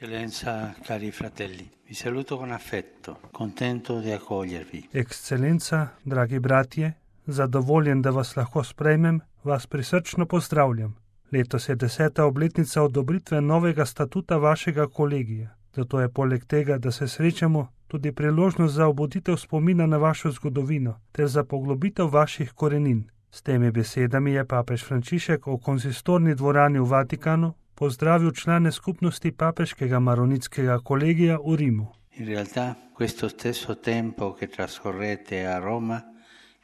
Eccellenza, cari fratelli, vi saluto con affetto, contento di accogliervi. Ekscelenca, dragi bratje, zadovoljen, da vas lahko sprejmem, vas prisrčno pozdravljam. Letos je 10. obletnica odobritve novega statuta vašega kolegija. Zato je poleg tega, da se srečamo, tudi priložnost za obuditev spomina na vašo zgodovino ter za poglobitev vaših korenin. S temi besedami je papež Frančišek v konsistorni dvorani v Vatikanu pozdravil člane skupnosti papeškega maronitskega kolegija v Rimu. In realtà questo stesso tempo che trascorrete a Roma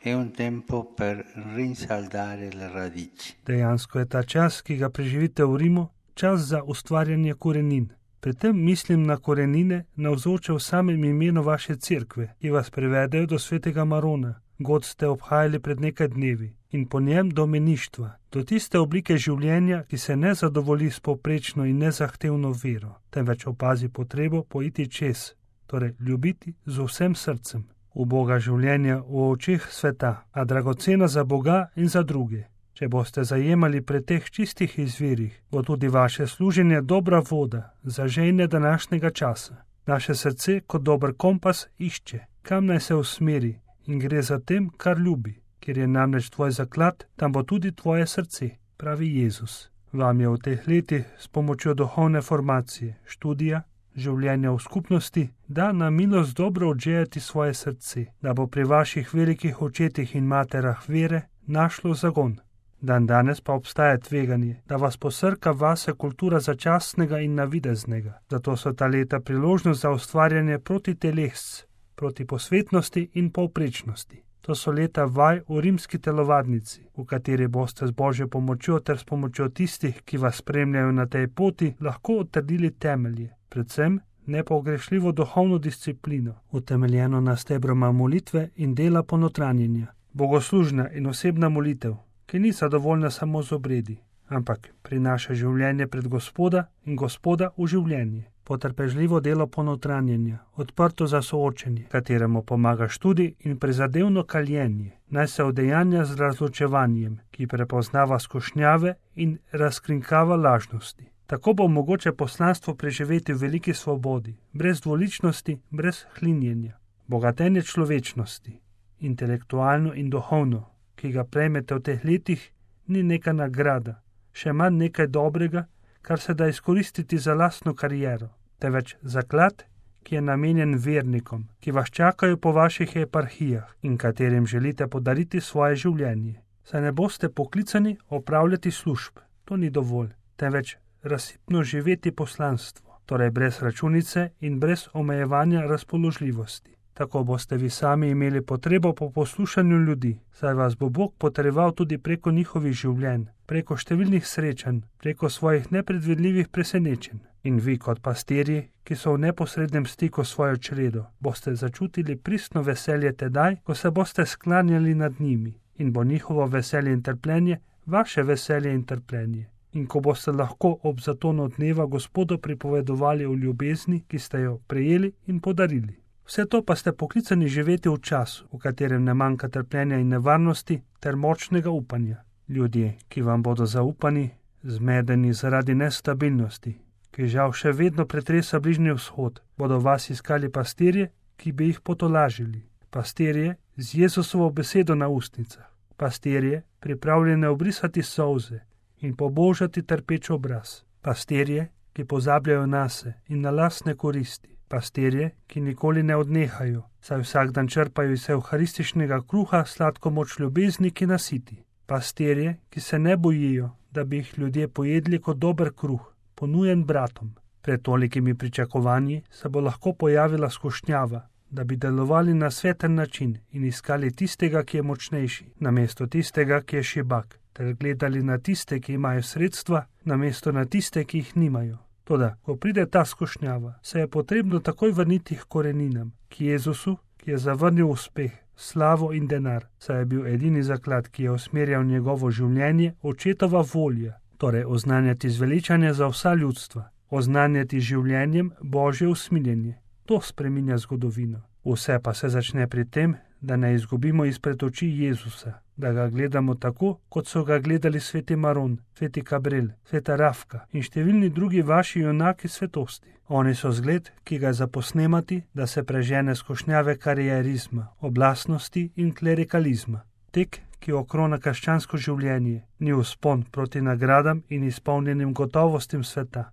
è un tempo per rinsaldare le radici. Dejansko je ta čas, ki ga preživite v Rimu, čas za ustvarjanje korenin. Pri tem mislim na korenine navzoče v samem imenu vaše cerkve, ki vas privedejo do svetega Marona. God ste obhajali pred nekaj dnevi in po njem do meništva, do tiste oblike življenja, ki se ne zadovolji s povprečno in nezahtevno vero, temveč opazi potrebo poiti čez, torej ljubiti z vsem srcem. Uboga življenja v očeh sveta, a dragocena za Boga in za druge. Če boste zajemali pri teh čistih izvirih, bo tudi vaše služenje dobra voda za žejne današnjega časa. Naše srce kot dober kompas išče, kam naj se usmeri, in gre za tem, kar ljubi. Ker je namreč tvoj zaklad, tam bo tudi tvoje srce, pravi Jezus. Vam je v teh letih s pomočjo duhovne formacije, študija, življenja v skupnosti, da na milost dobro odžejati svoje srce, da bo pri vaših velikih očetih in materah vere našlo zagon. Dan danes pa obstaja tveganje, da vas posrka vase kultura začasnega in navideznega. Zato so ta leta priložnost za ustvarjanje proti telesc, proti posvetnosti in povprečnosti. To so leta vaj v rimski telovadnici, v kateri boste z Božjo pomočjo ter s pomočjo tistih, ki vas spremljajo na tej poti, lahko utrdili temelje, predvsem nepogrešljivo duhovno disciplino, utemeljeno na stebroma molitve in dela ponotranjenja. Bogoslužna in osebna molitev, ki ni zadovoljna samo z obredi, ampak prinaša življenje pred Gospoda in Gospoda v življenje. Potrpežljivo delo ponotranjenja, odprto za soočenje, kateremu pomaga študij in prizadevno kaljenje, naj se udejanja z razločevanjem, ki prepoznava skušnjave in razkrinkava lažnosti. Tako bo mogoče poslanstvo preživeti v veliki svobodi, brez dvoličnosti, brez hlinjenja. Bogatenje človečnosti, intelektualno in duhovno, ki ga prejmete v teh letih, ni neka nagrada, še manj nekaj dobrega, kar se da izkoristiti za lastno kariero, temveč zaklad, ki je namenjen vernikom, ki vas čakajo po vaših eparhijah in katerim želite podariti svoje življenje. Saj ne boste poklicani opravljati služb, to ni dovolj, temveč razsipno živeti poslanstvo, torej brez računice in brez omejevanja razpoložljivosti. Tako boste vi sami imeli potrebo po poslušanju ljudi, saj vas bo Bog potreboval tudi preko njihovih življenj, preko številnih srečanj, preko svojih nepredvidljivih presenečenj. In vi kot pastirji, ki so v neposrednem stiku s svojo čredo, boste začutili pristno veselje tedaj, ko se boste sklanjali nad njimi in bo njihovo veselje in trpljenje vaše veselje in trpljenje. In ko boste lahko ob zatonu dneva Gospodu pripovedovali o ljubezni, ki ste jo prejeli in podarili. Vse to pa ste poklicani živeti v času, v katerem ne manjka trpljenja in nevarnosti ter močnega upanja. Ljudje, ki vam bodo zaupani, zmedeni zaradi nestabilnosti, ki žal še vedno pretresa Bližnji vzhod, bodo vas iskali pastirje, ki bi jih potolažili. Pastirje z Jezusovo besedo na ustnicah. Pastirje, pripravljene obrisati solze in pobožati trpeč obraz. Pastirje, ki pozabljajo nase in na lastne koristi. Pastirje, ki nikoli ne odnehajo, saj vsak dan črpajo iz evharističnega kruha sladko moč ljubezni, ki nasiti. Pastirje, ki se ne bojijo, da bi jih ljudje pojedli kot dober kruh, ponujen bratom. Pred tolikimi pričakovanji se bo lahko pojavila skušnjava, da bi delovali na sveten način in iskali tistega, ki je močnejši, namesto tistega, ki je šibak, ter gledali na tiste, ki imajo sredstva, namesto na tiste, ki jih nimajo. Toda, ko pride ta skušnjava, se je potrebno takoj vrniti k koreninam, k Jezusu, ki je zavrnil uspeh, slavo in denar, saj je bil edini zaklad, ki je usmerjal njegovo življenje, očetova volja, torej oznanjati zveličanje za vsa ljudstva, oznanjati življenjem Božje usmiljenje. To spreminja zgodovino. Vse pa se začne pri tem, da ne izgubimo izpred oči Jezusa, da ga gledamo tako, kot so ga gledali sveti Maron, sveti Gabriel, sveta Rafka in številni drugi vaši junaki svetosti. Oni so zgled, ki ga zaposnemati, da se prežene skušnjave karierizma, oblastnosti in klerikalizma. Tek, ki okrona krščansko življenje, ni vzpon proti nagradam in izpolnjenim gotovostim sveta,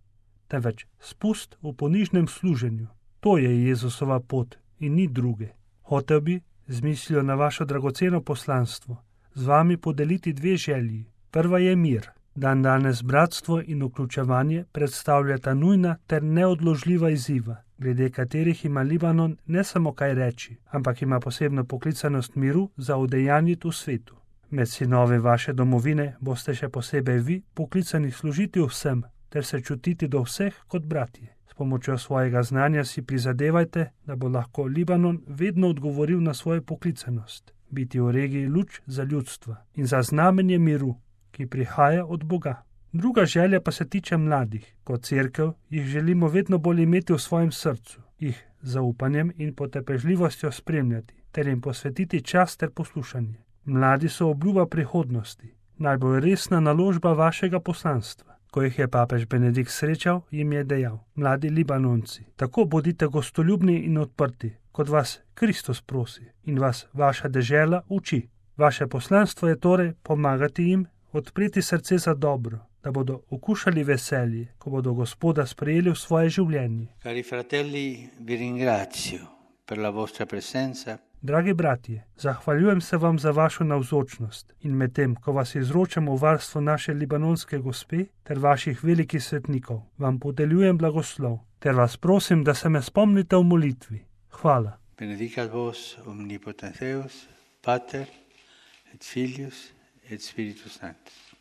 temveč spust v ponižnem služenju. To je Jezusova pot in ni druge. Hotel bi, z mislijo na vašo dragoceno poslanstvo, z vami podeliti dve želji. Prva je mir. Dan danes bratstvo in vključevanje predstavljata nujna ter neodložljiva izziva, glede katerih ima Libanon ne samo kaj reči, ampak ima posebno poklicanost miru za udejanjiti v svetu. Med sinovi vaše domovine boste še posebej vi poklicani služiti vsem ter se čutiti do vseh kot bratje. S pomočjo svojega znanja si prizadevajte, da bo lahko Libanon vedno odgovoril na svojo poklicanost, biti v regiji luč za ljudstva in za znamenje miru, ki prihaja od Boga. Druga želja pa se tiče mladih. Kot cerkev jih želimo vedno bolj imeti v svojem srcu, jih z zaupanjem in potrpežljivostjo spremljati, ter jim posvetiti čas ter poslušanje. Mladi so obljuba prihodnosti, najbolj resna naložba vašega poslanstva. Ko jih je papež Benedikt srečal, jim je dejal: mladi Libanonci, tako bodite gostoljubni in odprti, kot vas Kristus prosi in vas vaša dežela uči. Vaše poslanstvo je torej pomagati jim, odpreti srce za dobro, da bodo okušali veselje, ko bodo Gospoda sprejeli v svoje življenje. Cari fratelli, vi ringrazio per la vostra presenza. Dragi bratje, zahvaljujem se vam za vašo navzočnost in medtem, ko vas izročamo v varstvo naše libanonske gospe ter vaših velikih svetnikov, vam podeljujem blagoslov ter vas prosim, da se me spomnite v molitvi. Hvala. Benedicat vos omnipotens Deus, Pater et Filius et Spiritus Sanctus.